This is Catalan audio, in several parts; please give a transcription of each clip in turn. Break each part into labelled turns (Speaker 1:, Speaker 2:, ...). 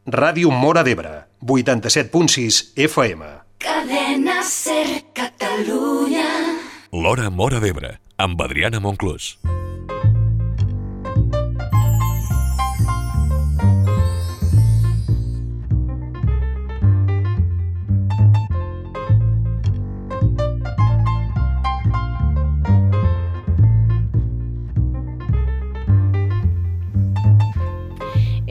Speaker 1: Ràdio Móra d'Ebre, 87.6 FM.
Speaker 2: Cadena Ser Catalunya.
Speaker 3: L'Hora Móra d'Ebre, amb Adriana Monclús.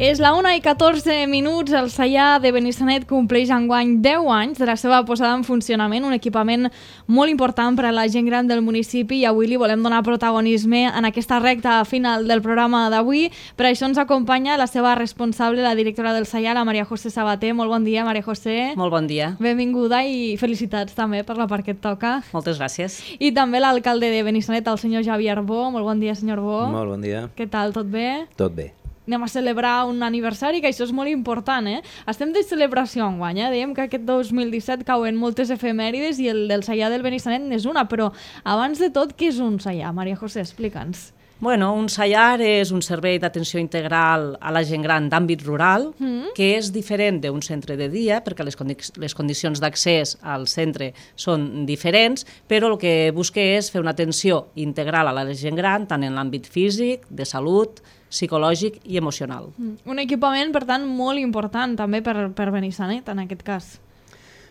Speaker 4: És la 1:14, el Saiar de Benissanet compleix enguany 10 anys de la seva posada en funcionament, un equipament molt important per a la gent gran del municipi, i avui li volem donar protagonisme en aquesta recta final del programa d'avui. Per això ens acompanya la seva responsable, la directora del Saiar, la Maria José Sabater. Molt bon dia, Maria José.
Speaker 5: Molt bon dia.
Speaker 4: Benvinguda i felicitats també per la part que et toca.
Speaker 5: Moltes gràcies.
Speaker 4: I també l'alcalde de Benissanet, el senyor Javier Bo. Molt bon dia, senyor Bo.
Speaker 6: Molt bon dia.
Speaker 4: Què tal, tot bé?
Speaker 6: Tot bé.
Speaker 4: Anem a celebrar un aniversari, que això és molt important, eh? Estem de celebració enguany, eh? Dèiem que aquest 2017 cauen moltes efemèrides i el del Saiar del Benissanet n'és una, però abans de tot, què és un Saiar? Maria José, explica'ns.
Speaker 5: Bueno, un Saiar és un servei d'atenció integral a la gent gran d'àmbit rural, que és diferent d'un centre de dia, perquè les condicions d'accés al centre són diferents, però el que busca és fer una atenció integral a la gent gran, tant en l'àmbit físic, de salut, psicològic i emocional.
Speaker 4: Un equipament, per tant, molt important també per Benissanet, en aquest cas.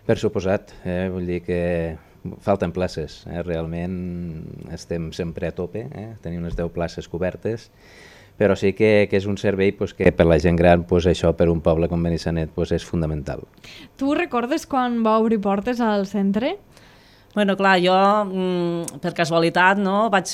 Speaker 6: Per suposat, vull dir que falten places, realment estem sempre a tope, tenim unes 10 places cobertes, però sí que és un servei que per la gent gran, això per un poble com Benissanet és fundamental.
Speaker 4: Tu recordes quan va obrir portes al centre?
Speaker 5: Bueno, clar, jo, per casualitat, vaig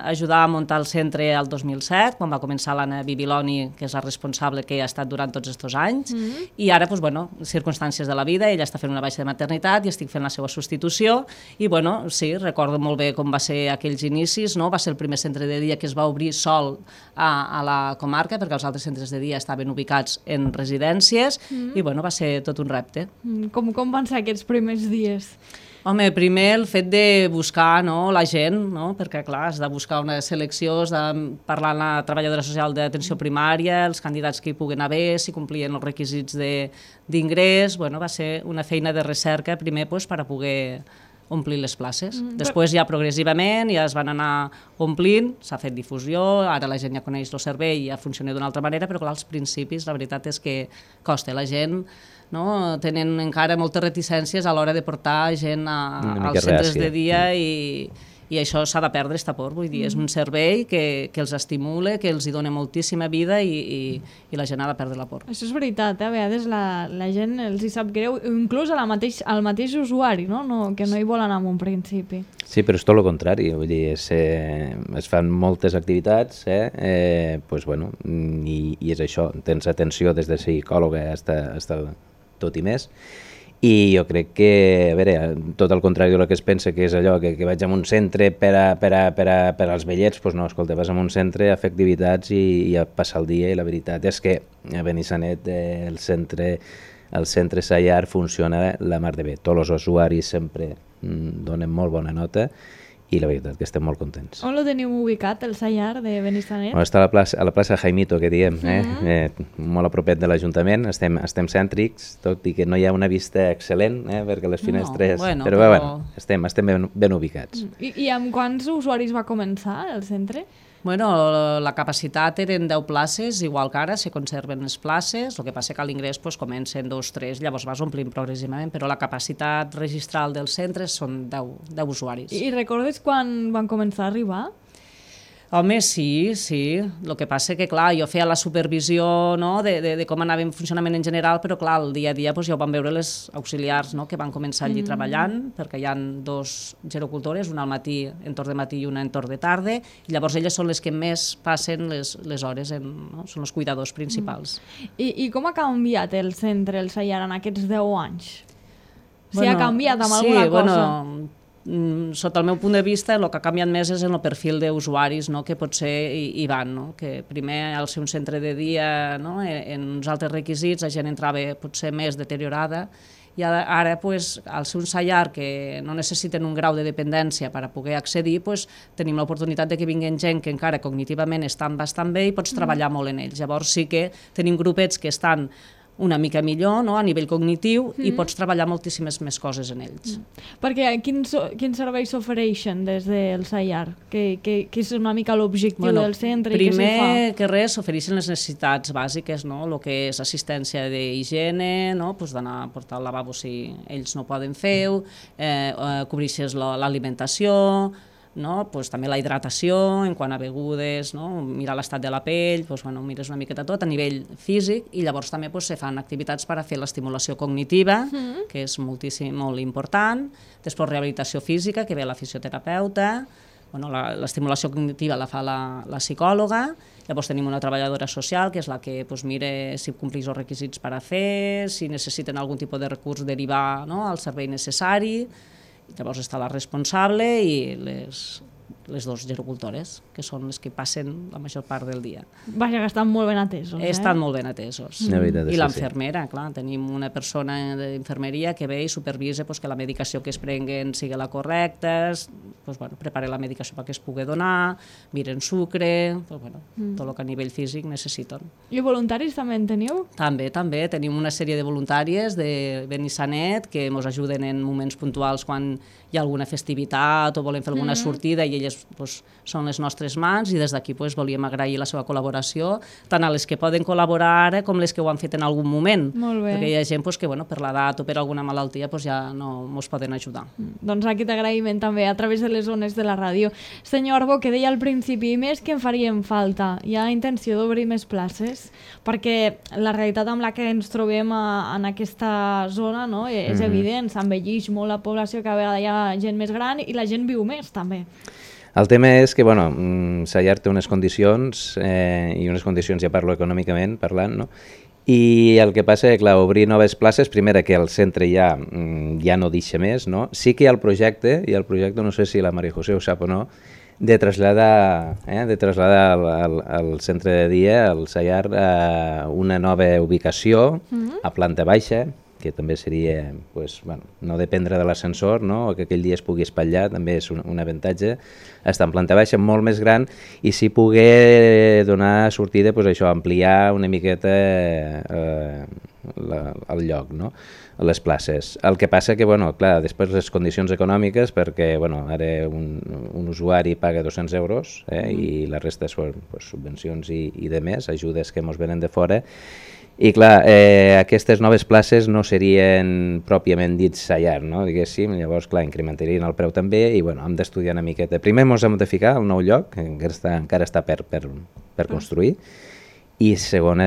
Speaker 5: ajudar a muntar el centre el 2007, quan va començar l'Anna Bibiloni, que és la responsable que ha estat durant tots aquests anys, i ara, circumstàncies de la vida, ella està fent una baixa de maternitat i estic fent la seva substitució, i sí, recordo molt bé com va ser aquells inicis, va ser el primer centre de dia que es va obrir sol a la comarca, perquè els altres centres de dia estaven ubicats en residències, i va ser tot un repte.
Speaker 4: Com van ser aquests primers dies?
Speaker 5: Home, primer el fet de buscar la gent, perquè clar, has de buscar una selecció, has de parlar amb la treballadora social d'atenció primària, els candidats que hi puguen haver, si complien els requisits d'ingrés, va ser una feina de recerca primer per a poder omplir les places. Després ja progressivament ja es van anar omplint, s'ha fet difusió, ara la gent ja coneix el servei i ja funciona d'una altra manera, però clar, als principis la veritat és que costa. La gent tenen encara moltes reticències a l'hora de portar gent als centres de dia i això s'ha de perdre, esta por. Vull dir, és un servei que els estimula, que els hi dona moltíssima vida i la gent ha de perdre la por.
Speaker 4: Això és veritat, a vegades la gent els hi sap greu, inclús al mateix usuari, que no hi vol anar en un principi.
Speaker 6: Sí, però és tot el contrari, vull dir, es fan moltes activitats, i és això, tens atenció des de psicòloga fins a tot i més, i jo crec que, a veure, tot el contrari del que es pensa que és allò, que vaig a un centre per als vellets, doncs no, escolta, vas a un centre a fer activitats i a passar el dia, i la veritat és que a Benissanet el centre Saiar funciona la mar de bé. Tots els usuaris sempre donen molt bona nota i la veritat que estem molt contents.
Speaker 4: On lo teniu ubicat, el Saiar de Benissanet?
Speaker 6: Està a la plaça Jaimito, que diem, molt a propet de l'Ajuntament, estem cèntrics, tot i que no hi ha una vista excel·lent, perquè les finestres... Però estem ben ubicats.
Speaker 4: I amb quants usuaris va començar el centre?
Speaker 5: Bueno, la capacitat eren 10 places, igual que ara se conserven les places, el que passa que a l'ingrés comença en 2 o 3, llavors vas omplint progressivament, però la capacitat registral dels centres són 10 usuaris.
Speaker 4: I recordes quan van començar a arribar?
Speaker 5: Home, sí. El que passa que, clar, jo feia la supervisió de com anava en funcionament en general, però, clar, el dia a dia ja ho van veure les auxiliars que van començar allí treballant, perquè hi ha 2 gerocultores, una al matí, en torn de matí, i una en torn de tarda, i llavors elles són les que més passen les hores, són els cuidadors principals.
Speaker 4: I com ha canviat el centre, el Saiar, en aquests 10 anys? Si ha canviat amb alguna cosa?
Speaker 5: Sota el meu punt de vista, el que ha canviat més és en el perfil d'usuaris que potser hi van, que primer al ser un centre de dia, en uns altres requisits, la gent entrava potser més deteriorada, i ara, al ser un Saiar que no necessiten un grau de dependència per a poder accedir, tenim l'oportunitat de que vinguin gent que encara cognitivament estan bastant bé i pots treballar molt en ells. Llavors sí que tenim grupets que estan una mica millor, no?, a nivell cognitiu, i pots treballar moltíssimes més coses en ells.
Speaker 4: Perquè quins serveis s'ofereixen des del SAIAR? Que és una mica l'objectiu del centre i què s'hi fa?
Speaker 5: Primer que res s'ofereixen les necessitats bàsiques, no?, el que és assistència d'higiene, no?, pues d'anar a portar al lavabo si ells no poden fer-ho, cobreixes l'alimentació, no? Pues també la hidratació en quant a begudes, no? Mirar l'estat de la pell, pues, bueno, mires una miqueta tot a nivell físic, i llavors també pues, se fan activitats per a fer l'estimulació cognitiva, que és molt important, després rehabilitació física, que ve la fisioterapeuta, bueno, l'estimulació cognitiva la fa la psicòloga, llavors tenim una treballadora social, que és la que pues, mira si compleix els requisits per a fer, si necessiten algun tipus de recurs derivar, no?, al servei necessari. Llavors està la responsable i les dues gerocultores, que són les que passen la major part del dia.
Speaker 4: Vaja, que estan molt ben atesos.
Speaker 5: Estan molt ben atesos. I l'infermera, clar, tenim una persona d'infermeria que ve i supervisa que la medicació que es prenguen sigui la correcta, prepara la medicació perquè es pugui donar, miren sucre, tot el que a nivell físic necessiten.
Speaker 4: I voluntaris també en teniu?
Speaker 5: També. Tenim una sèrie de voluntàries de Benissanet que ens ajuden en moments puntuals quan hi ha alguna festivitat o volem fer alguna sortida, i elles són les nostres mans, i des d'aquí volíem agrair la seva col·laboració, tant a les que poden col·laborar ara com les que ho han fet en algun moment.
Speaker 4: Molt bé.
Speaker 5: Perquè hi ha gent que per l'edat o per alguna malaltia ja no ens poden ajudar.
Speaker 4: Doncs aquest agraïment també a través de les zones de la ràdio. Senyor Arbó, que deia al principi, més que en farien falta, hi ha intenció d'obrir més places? Perquè la realitat amb la que ens trobem en aquesta zona, no, és evident, s'envelleix molt la població, cada vegada hi ha gent més gran i la gent viu més també.
Speaker 6: El tema és que, SAIAR té unes condicions, i unes condicions, ja parlo econòmicament parlant, no? I el que passa és que, clar, obrir noves places, primera que el centre ja no deixa més, no? Sí que hi ha el projecte, no sé si la Maria José ho sap o no, de traslladar al centre de dia, al SAIAR, a una nova ubicació, a planta baixa, que també seria, no dependre de l'ascensor, no? Que aquell dia es pugui espatllar, també és un avantatge, estar en planta baixa molt més gran, i si poder donar sortida, ampliar una miqueta el lloc, no? Les places. El que passa que, clar, després les condicions econòmiques, perquè ara un usuari paga 200 euros, i la resta són subvencions i de més, ajudes que ens venen de fora. I clar, aquestes noves places no serien pròpiament dits SAIAR, no? Diguéssim, llavors clar, incrementarien el preu també, i hem d'estudiar una miqueta. Primer ens hem de ficar al nou lloc, que encara està per construir, i segona,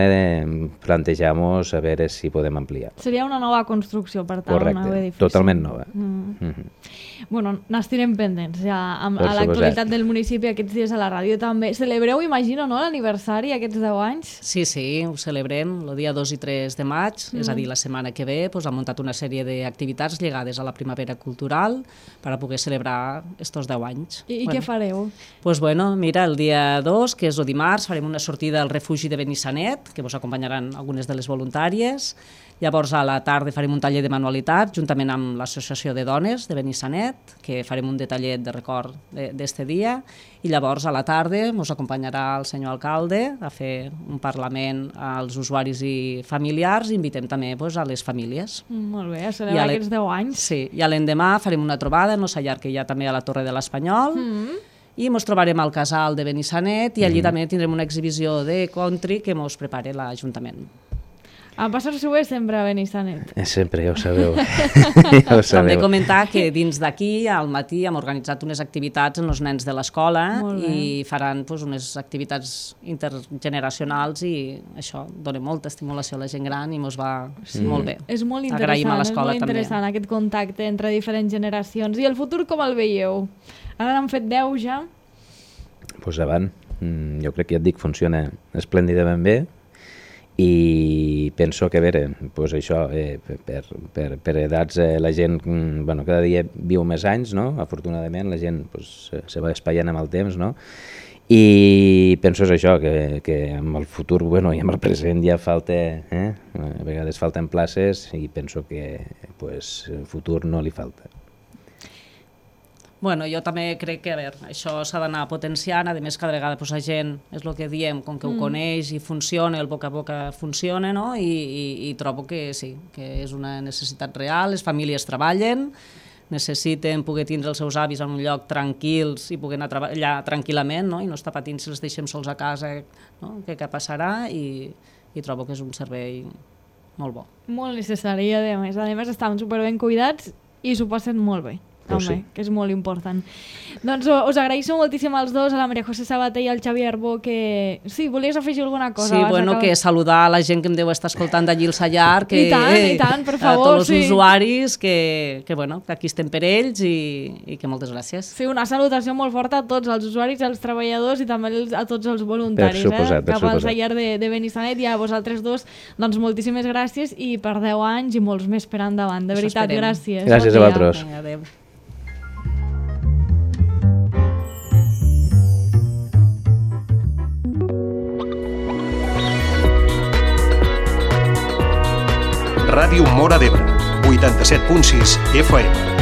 Speaker 6: plantejar-nos a veure si podem ampliar.
Speaker 4: Seria una nova construcció, per tant,
Speaker 6: correcte,
Speaker 4: un nou edifici.
Speaker 6: Totalment nova.
Speaker 4: Bueno, n'estirem pendents ja a l'actualitat del municipi aquests dies a la ràdio també. Celebreu, imagino, no, l'aniversari aquests 10 anys?
Speaker 5: Sí, ho celebrem el dia 2 i 3 de maig, és a dir, la setmana que ve hem muntat una sèrie d'activitats lligades a la primavera cultural per a poder celebrar estos 10 anys.
Speaker 4: I què fareu?
Speaker 5: Doncs mira, el dia 2, que és el dimarts, farem una sortida al refugi de Benissanet, que vos acompanyaran algunes de les voluntàries. Llavors a la tarda farem un taller de manualitat juntament amb l'Associació de Dones de Benissanet, que farem un detallet de record d'este dia, i llavors a la tarda ens acompanyarà el senyor alcalde a fer un parlament als usuaris i familiars, i invitem també a les famílies.
Speaker 4: Molt bé, a celebrar aquests 10 anys.
Speaker 5: Sí, i l'endemà farem una trobada en el SAIAR que hi ha també a la Torre de l'Espanyol, i ens trobarem al casal de Benissanet, i allí també tindrem una exhibició de country que ens prepara l'Ajuntament.
Speaker 4: A passar-s'ho bé sempre a Benissanet.
Speaker 6: Sempre, ja ho sabeu.
Speaker 5: També comentar que dins d'aquí, al matí, hem organitzat unes activitats amb els nens de l'escola i faran unes activitats intergeneracionals, i això dona molta estimulació a la gent gran i ens va molt bé.
Speaker 4: És molt interessant aquest contacte entre diferents generacions. I el futur com el veieu? Ara n'han fet 10 ja?
Speaker 6: Doncs avant. Jo crec que ja et dic, funciona esplèndidament bé, i penso que, a veure, això, per edats la gent cada dia viu més anys, no? Afortunadament la gent se va espatllant amb el temps, no? I penso això, que amb el futur i amb el present ja falta, a vegades falten places, i penso que el futur no li falta.
Speaker 5: Bueno, jo també crec que, a veure, això s'ha d'anar potenciant, a més cada vegada la gent, és el que diem, com que ho coneix i funciona, el boca a boca funciona, no? I trobo que sí, que és una necessitat real, les famílies treballen, necessiten poder tindre els seus avis en un lloc tranquils i poder anar a treballar tranquil·lament, no? I no estar patint si els deixem sols a casa, no? Què passarà, i trobo que és un servei molt bo.
Speaker 4: Molt necessari, a més estan superben cuidats i s'ho passen molt bé. També, que és molt important. Doncs us agraeixo moltíssim als dos, a la Maria José Sabater i al Xavi Arbó, que... Sí, volies afegir alguna cosa?
Speaker 5: Sí, bueno, que saludar a la gent que em deu estar escoltant d'allí al Sallar, que...
Speaker 4: I tant, per favor,
Speaker 5: a tots els usuaris, que bueno, que aquí estem per ells i que moltes gràcies.
Speaker 4: Sí, una salutació molt forta a tots els usuaris, als treballadors i també a tots els voluntaris,
Speaker 6: per suposat.
Speaker 4: Cap al Sallar de Benissanet, i a vosaltres dos, doncs moltíssimes gràcies i per 10 anys i molts més per endavant. De veritat, gràcies.
Speaker 6: Gràcies a vosaltres.
Speaker 5: Adéu.
Speaker 1: Ràdio Móra d'Ebre, 87.6 FM.